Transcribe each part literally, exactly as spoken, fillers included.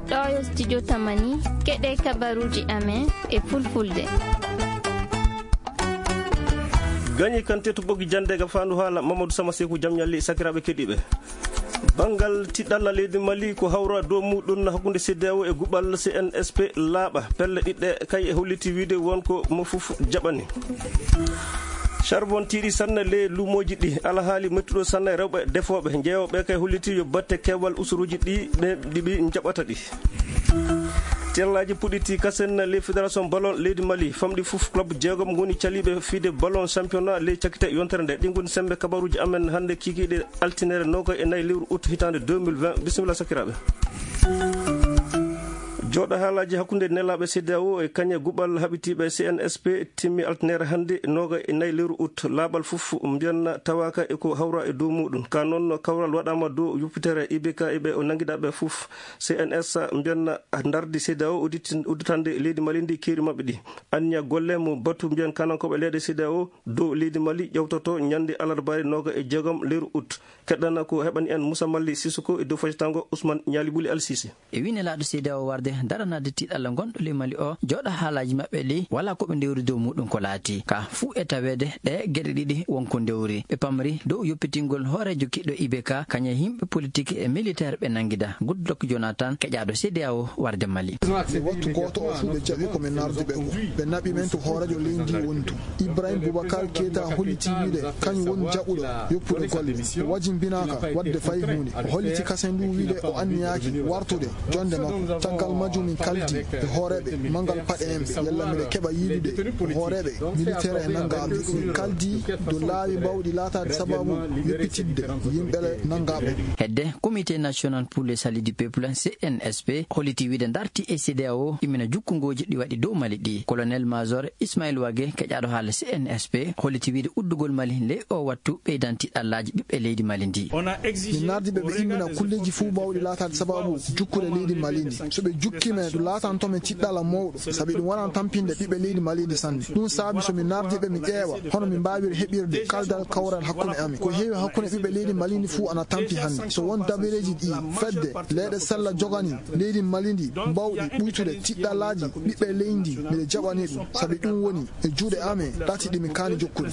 Ɗo yo studio Tamani, keɗe kabaruuji amen e fulfulde. Gañi kan tetu ɓogi jannde ga faandu haala Mamadou Sama Seku jam ñalli sakiraaɓe keɗiiɓe. Banngal tiɗɗalla leydi Mali ko hawra dow muɗum hakkunde C D A O e guɓal C N S P laaɓa. Pelle ɗiɗɗe kay e holliti wiide won ko mo fof jaɓani. Charbon tiiɗi sanne ley luumooji ɗi. Alhaali mettuɗo sanne rewɓe defooɓe. Jeeyooɓe kay holliti yo batte keewal usuruuji ɗi ɓe ɗi ɓe njaɓata ɗi. Tellaaji puɗɗiti kasen ley fédération ballon leydi Mali. Famɗi fof club jeegom ngoni caliiɓe fiyde ballon championnat ley cakkite yontere nde. Ɗi ngoni semmbe kabaruuji amen hannde kikiiɗe altine noogaye e nayi lewru août hitaande deux mille vingt. Bisimilla sakiraaɓe. Jooɗo haalaaji hakkunde nelaaɓe C D A O e kañe guɓal haɓitiiɓe C N S P timmi altine hannde noogaye e nayi lewru août. Laaɓal fof mbiyanna tawaaka e ko hawra e dow muɗum. Ka noon kawral waɗaama dow yoppitere I B K e ɓe o nanngiɗaaɓe fof. C N S mbiyanna ndardi C D A O udditi-, udditande leydi Mali ndi keeri maɓɓe ɗi. Anniya golle mo batu mbiyan kanankooɓe leyɗe C D A O dow leydi Mali ƴewtoto ñande alarbaari noogaye e jeegom lewru août. Keɗɗana ko heɓani en Moussa Mali Sissoko e dow faytango Ousmane Ñaali Buli Al Sisi. E wii nelaaɗo C D A O warde daranaade tiiɗalla ngonɗo ley Mali o, jooɗo haalaaji maɓɓe ɗi, walaa ko ɓe ndewri dow muɗum ko laati. Ka fuu e taweede ɗe geɗe ɗiɗi won ko ndewri. Ɓe pamri dow yoppitingol hooreejo kiɗɗo I B K, kañe yimɓe politik e militeer ɓe nanngida. Goodluck Jonathan, keƴaaɗo C D A O warde Mali. Wattu gooto o fuu ɓe jaɓi ko min nardi ɓe ko. Ɓe naɓi men to hooreejo leydi ndi woni to. Ibrahim Boubacar Keita holliti wiide kañum woni jaɓuɗo yoppude golle. O wajimbinaaka waɗde fay huunde. O holliti kasen ndu wiide o anniyaaki wartude jonde makko. Caggal majjum min kaldi e hooreeɓe manngal paɗe en ɓe, yalla miɗe keɓa yiidude hooreeɓe militeer e nanngaaɓe. Min kaldi dow laawi mbaawɗi laataade sababu yoppitidde yimɓe nanngaaɓe. Hedde Comité National pour le Salut du Peuple, C N S P, holliti wiide darti e C D A O immina jukkungooji ɗi waɗi dow Mali ɗi. Colonel Major Ismail Wage, keƴaaɗo haala C N S P, holliti wiide uddugol Mali ley o wattu ɓeydan tiiɗallaaji ɓiɓɓe leydi Mali ndi. Min nardi ɓe ɓe immina kulleeji fuu mbaawɗi laataade sababu jukkude leydi Mali ndi. So ɓe jukkii men, ɗum laatanto men tiiɗalla mawɗo, sabi ɗum wonan tampinde ɓiɓɓe leydi Mali ndi sanne. Ɗum saabi so min nardi ɓe, min ƴeewa hono min mbaawiri heɓirde kaldal kawral hakkunde amin. Ko heewi hakkunde ɓiɓɓe leydi Mali ndi fuu ana tampi hannde. So won dabareeji ɗi fedde leyɗe sella jogani leydi Mali ndi mbaawɗi ɓuytude tiiɗallaaji ɓiɓɓe leydi, miɗe jaɓani ɗum, sabi ɗum woni e juuɗe amen ɗati ɗi min kaani jokkude.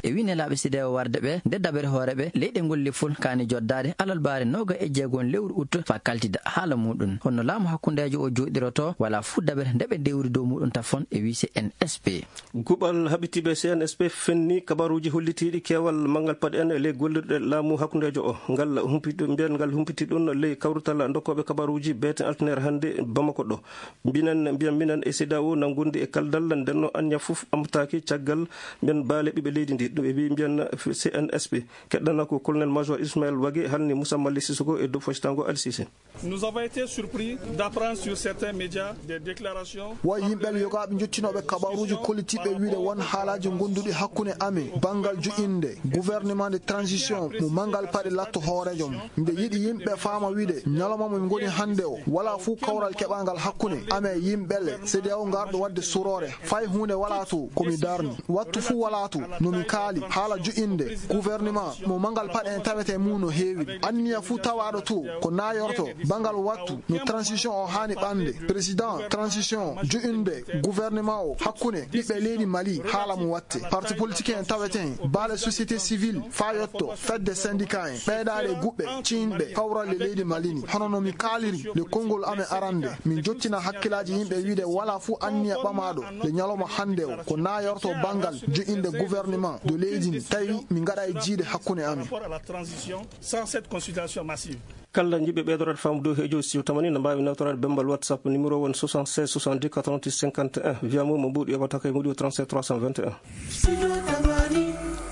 E wii nelaaɓe C D A O warde ɓe, nde dabere hooreeɓe leyɗe ngol lefol kaani joddaade alarbaare noogaye e jeegom lewru août faa kaltida haala muɗum. Honno laamu hakkundeejo o jooɗirotoo? Walaa fuu dabere nde ɓe ndewri dow muɗum tafon, e wii C N S P. Guɓal haɓitiiɓe C N S P fenni kabaruuji hollitiiɗi keewal manngal paɗe en e ley gollirɗe laamu hakkundeejo o. Ngal humpiti, mbiyan ngal humpiti ɗum ley kawrital dokkooɓe kabaruuji beeten altine hannde Bamako ɗo. Mbinan, mbiyan minen e C D A O na ngondi e kaldal, ndenno anniya fof amtaaki caggal mbiyan baale ɓiɓɓe leydi ndi. Ɗum e wi mbiyan C N S P. Keɗɗana ko colonel major Ismaël Wage halni Moussa Mali Sissoko e dow foccitango Al Sisi. Nous avons été surpris d'apprendre sur certains médias des déclarations. Wo yimɓe yogaaɓe njottinooɓe kabaruuji kollitiiɓe wiide won haalaaji ngonduɗi hakkunde amen banngal joƴƴinde gouvernement de transition mo manngal paɗe latto hooreejo mum. Mbe yiɗi yimɓe faama wiide ñalawma mo min ngoni hannde o, walaa fuu kawral keɓangal hakkunde amen e yimɓe le C D A O ngarɗo waɗde suroore. Fay huunde walaa to ko mi darni. Wattu fuu walaa to no mi kaali haala joƴƴinde gouvernement mo manngal paɗe en tawete mum no heewi. Anniya fuu tawaaɗo to ko naayorto banngal wattu no transition o haani ɓande. Président transition joƴƴinde gouvernement o hakkunde ɓiɓɓe leydi Mali haala mo watte. Parti politique en tawete hen, baale société civile faa yotto fedde syndicat en, ɓeydaare guɓɓe ciynɓe kawral le leydi Mali ni. Hono no mi kaaliri le konngol amen arande, min jottina hakkilaaji yimɓe wiide walaa fuu anniya ɓamaaɗo le ñalawma hannde o ko naayorto banngal joƴƴinde gouvernement de leydi ndi, tawi min ngaɗa e jiiɗe hakkunde amen. Par rapport à la transition, sans cette consultation massive. Kala jiɗɓe ɓeydoraade faamu dow heejo siw tamani no mbaawi nawtoraade bemmbal WhatsApp numéro won soixante-seize soixante-dix quatre-vingt-huit cinquante et un, via mo mo mbuuɗi yoɓata kay mbuuɗi o trente-sept trois cent vingt et un.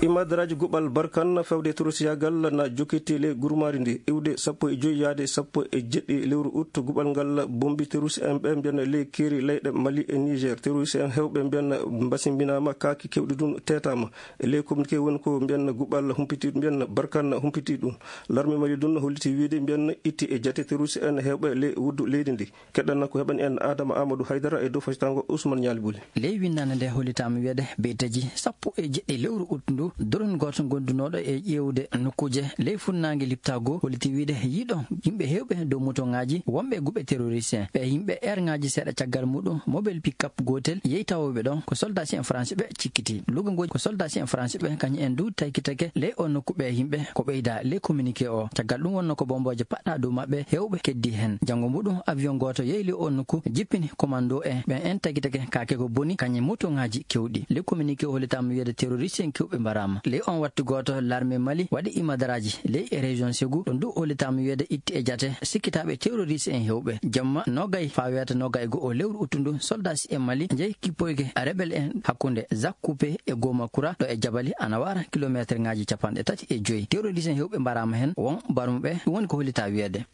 Imadaraaji guɓal Barkan fewde terroriste yaagal na jokkiti ley gurmaari ndi iwde sappo e joy yaade sappo e jeɗɗi lewru août. Guɓal ngal bombi terroriste en ɓe mbiyan ley keeri leyɗe Mali e Niger. Terroriste en heewɓe mbiyan mbasimbinaama, kaaki kewɗi ɗum teetaama. E ley communiqué woni ko mbiyan guɓal humpiti, mbiyan Barkan humpiti ɗum. Larme Mali ɗum holliti wiide mbiyan itti e jate terroriste en heewɓe ley wuddu leydi ndi. Keɗɗanna ko heɓani en Adama Amadou Haydara e dow fasitango Ousmane Ñaali Buli. Ley winndande nde hollitaama wiyeede beytaji sappo e jeɗɗi lewru août ndu Drone gooto gondunooɗo e ƴeewde nokkuuje ley funnaange Liptaago holliti wiyde yiiɗo yimɓe heewɓe dow motoŋaaji wonɓe guɓe terroriste en. Ɓe yimɓe eerŋaaji seeɗa caggal muɗum, mobile pick-up gootel yehi tawooɓe ɗon, ko soldaaji en France ɓe cikkiti. Lugangooji ko soldaaji en France ɓe kañum en du taykitake ley o nokku ɓe yimɓe ko ɓeyda ley communiqué o. Caggal ɗum wonno ko bombooje paɗɗa dow maɓɓe heewɓe keddi heen. Janngo muɗum avion gooto yehi ley o nokku jippini commando en ɓen en tagitake kaake ko boni kañum motoŋaaji kewɗi. Ley communiqué o hollitaama wiyde terroriste en kewɓe mbaraama. Ley on wattu gooto l'armée Mali waɗi imadaraaji ley région Ségou. Ɗon du hollitaama wiyde itti e jate sikkitaaɓe terroriste en heewɓe. Jamma noogay faa weeta noogay e go'o lewru uttundu soldaaji en Mali njehi kippoyge rebel en hakkunde Zakoupe e Gomakura ɗo e jabali ana wara kilomeeterŋaaji capanɗe tati e joyi. Terroriste en heewɓe mbaraama heen won barmuɓe ɗum woni ko hollitaa wiyde.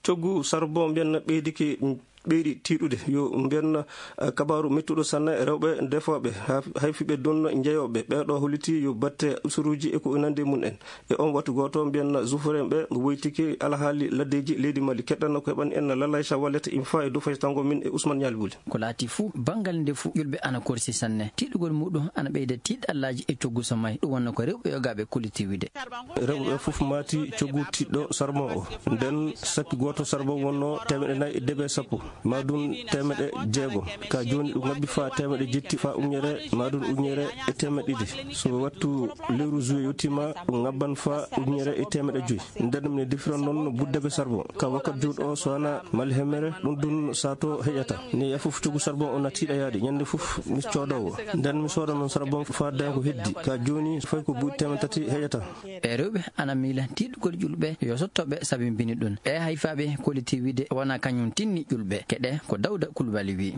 Coggu sarbon mbiyen ɓeydike ɓeyɗi tiiɗude yo mbiyen, eh, kabaaru mettuɗo sanne rewɓe defooɓe ha-, hayfiɓe ɗon njeyooɓe. Ɓeeɗo holliti yo batte usuruuji e ko nandi e mum en. E on wattu gooto mbiyen zufuren ɓe woytike alhaali laddeeji leydi Mali. Keɗɗanno ko heɓani en Lalaysa Wallet Infa e dow faytango min e Ousmane Ñaali Buli. Ko laati fuu banngal nde fuu yulɓe ana korsi sanne. Tiiɗugol muɗum ana ɓeyda tiiɗallaaji e coggu so may. Ɗum wonno ko rewɓe yogaaɓe kolliti wiyde. Rewɓe ɓe fof maati coggu tiiɗɗo sarmo o. Nden sakki gooto sarmo wonno teemeɗɗe nayi e debe sappo, maa ɗum teemeɗɗe jeego. Ka jooni ɗum ngabbi faa teemeɗɗe jetti faa ujunere, maa ɗum ujunere e teemeɗɗe ɗiɗi. So wattu lewru juillet yottiima, ɗum ngabban faa ujunere e teemeɗɗe joyi. Nden mi ne defira noon buddabe sarmo. Ka wakkat juuɗo o so wana mal hemere, ɗum ɗum saato heƴata. Ne ya fof coggu sarmo o na tiiɗa yaade. Ñande fof mi coodowo. Nden mi sooda noon sarmo faa daña ko heddi. Ka jooni fay ko buuɗi teemeɗɗe tati heƴata. Ɓe rewɓe ana miila tiiɗugol ƴulɓe yo sottoɓe sabi mbini ɗum. Ɓe hayfaaɓe kolliti wiyde wona kañum tinni ƴulɓe. Keɗe ko Dawda Kulbali wi.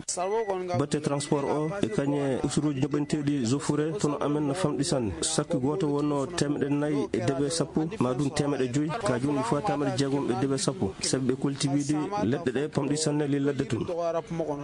Batte transport o e kañe usuruuji joɓanteeɗi zofure tono amen no famɗi sanne. Sakki gooto wonno teemeɗɗe nayi e debe sappo, maa ɗum teemeɗɗe joyi, ka jooni faa teemeɗɗe jeegom e debe sappo. Sabi ɓe kolliti wiyde leɗɗe ɗe pamɗi sanne ley ladde tun.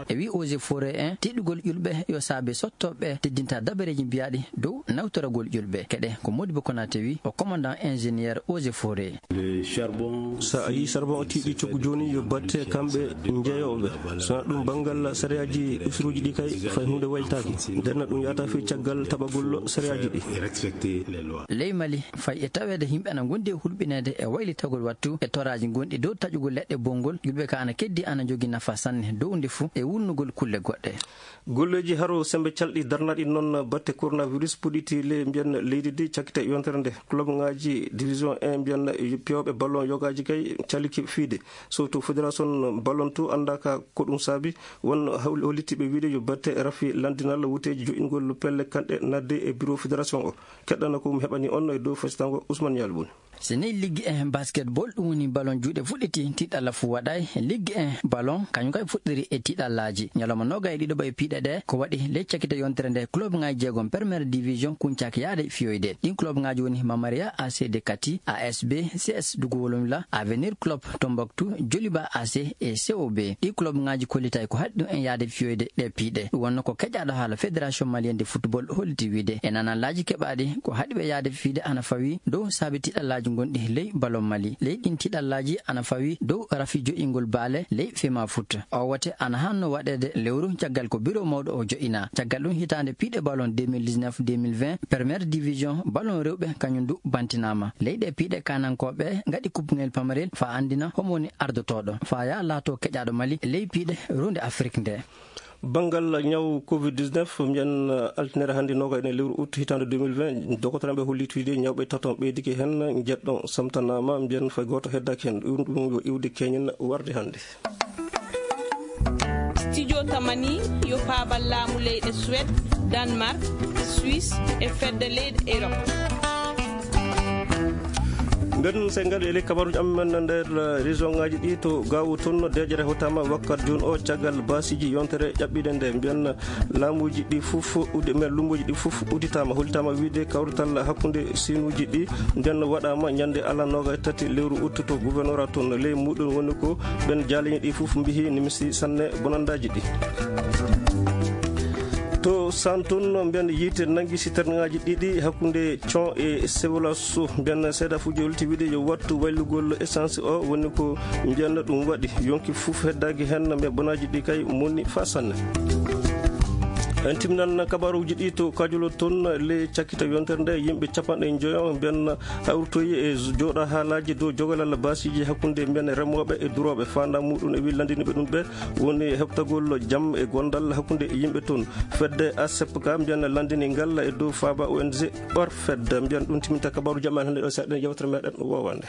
E wi eaux et forêt en, tiiɗugol ƴulɓe yo saabe sottoɓe teddinta dabareeji mbiyaaɗi dow nawtoragol ƴulɓe. Keɗe ko Modibo Konate wi, o commandant ingénieur eaux et forêt. Le charbon. So a yii charbon o tiiɗi coggu jooni yo batte kamɓe njeyooɓe. So ɗum banngal sariyaaji usuruuji ɗi kay fay huunde waylitaaki. Nden ɗum yahata fii caggal taɓagol sariyaaji ɗi. Respecter les lois. Ley Mali, fay e taweede yimɓe ana ngondi e hulɓineede e waylitagol wattu e toraaji gonɗi dow taƴugol leɗɗe bonngol, ƴulɓe ka ana keddi ana njogii nafa sanne dow nde fuu e wuurnugol kulle goɗɗe. Golleeji haro semmbe calɗi darnaaɗi noon batte coronavirus puɗɗiti le mbiyen leydi ndi cakkite yontere nde. Club ŋaaji division un mbiyen piyooɓe ballon yogaaji kay caliki fiide. So to fédération ballon to anndaaka ko ɗum saabi, won hawl-, hollitiiɓe wiide yo batte rafi lanndinal wuteeji joƴƴingol pelle kanɗe nadde e bureau fédération o. Keɗɗana ko mi heɓani on e dow fasitango Ousmane Ñaali Bun. So nii liggi en basketball, ɗum woni ballon juuɗe fuɗɗiti, tiiɗalla fuu waɗaay. Liggi en ballon, kañum kay fuɗɗiri e tiiɗallaaji. Ñalawma noogay e ɗiɗo ɓay piiɗe ɗe, ko waɗi ley cakkite yontere nde club ŋaaji jeegom première division kuñcaaki yaade fiyoyde. Ɗin club ŋaaji woni Mamaria A C de Kati, A S B C S Dugu Wolomla, Avenir Club Tombouctou, Joliba A C e C O B. Ɗi club ŋaaji kollitay ko haɗi ɗum en yaade fiyoyde ɗe piiɗe. Ɗum wonno ko keƴaaɗo haala Fédération Malienne de Football holliti wiide. E nanallaaji keɓaaɗi, ko haɗi ɓe yaade fiide ana fawi dow saabi tiiɗallaaji gonɗi ley ballon Mali. Ley ɗin tiiɗallaaji ana fawi dow rafi joƴƴingol baale ley Fema Foot. O wote ana hanno waɗeede lewru caggal ko biro mawɗo o joƴƴina. Caggal ɗum hitaande piiɗe ballon deux mille dix-neuf deux mille vingt, première division ballon rewɓe kañum du bantinaama. Ley ɗe piiɗe kaanankooɓe ngaɗi kuppungel pamarel faa anndina homo woni ardotooɗo. Faa yaa laato keƴaaɗo Mali ley piiɗe ruunde Afrik nde. Banngal ñaw covid dix-neuf, mbiyen, eh, altinere hannde noogay e lewru août hitaande deux mille vingt, dogotoreeɓe holliti wiyde ñawɓe taton ɓeydike heen, njeɗɗon samtanaama, mbiyen fay gooto heddaaki heen. Ɗum, ɗum yo iwde keñen warde hannde. Studio Tamani yo paabal laamu leyɗe Suède, Danemark, Suisse e fedde leyɗe Europe. Nden se ngal e ley kabaruuji amen nder, eh, région ŋaaji ɗi to Gaawo toon, deeƴere hewtaama wakkat jooni o caggal baasiiji yontere ƴaɓɓiinde nde. Mbiyen laamuuji ɗi fof uddi-, mbiyen lummbuuji ɗi fof udditaama, hollitaama wiyde kawrital hakkunde siinuuji ɗi nden waɗaama ñande alarba noogay tati lewru août to gouverneur toon. Ley muɗum woni ko ɓen jaaliiɓe ɗi fof mbiyi nimsi sanne bonandaaji ɗi. To Santon, mbiyen yiite nangi siternaaji ɗiɗi hakkunde Con e Sewlaso. Mbiyen seeɗa fuuji holti wiide yo wattu waylugol essence o, woni ko mbiyen ɗum waɗi. Yonki fof heddaaki heen, mais bonaaji ɗi kay moni faa sanne. En timminan kabaruuji ɗi to Kajolo toon. Ley cakkita yontere nde, yimɓe capanɗe njoyo mbiyan hawritoyi e jooɗa haalaaji dow jogalal baasiiji hakkunde mbiyan remooɓe e durooɓe. Faandaare muɗum e wi lanndiniiɓe ɗum ɓe woni heɓtagol jam e gondal hakkunde yimɓe toon. Fedde A S P K mbiyan lanndini ngal e dow faaba O N G Orfed. Mbiyan ɗum timminta kabaruuji amen hannde ɗo, seeɗa yewtere meɗen woowande.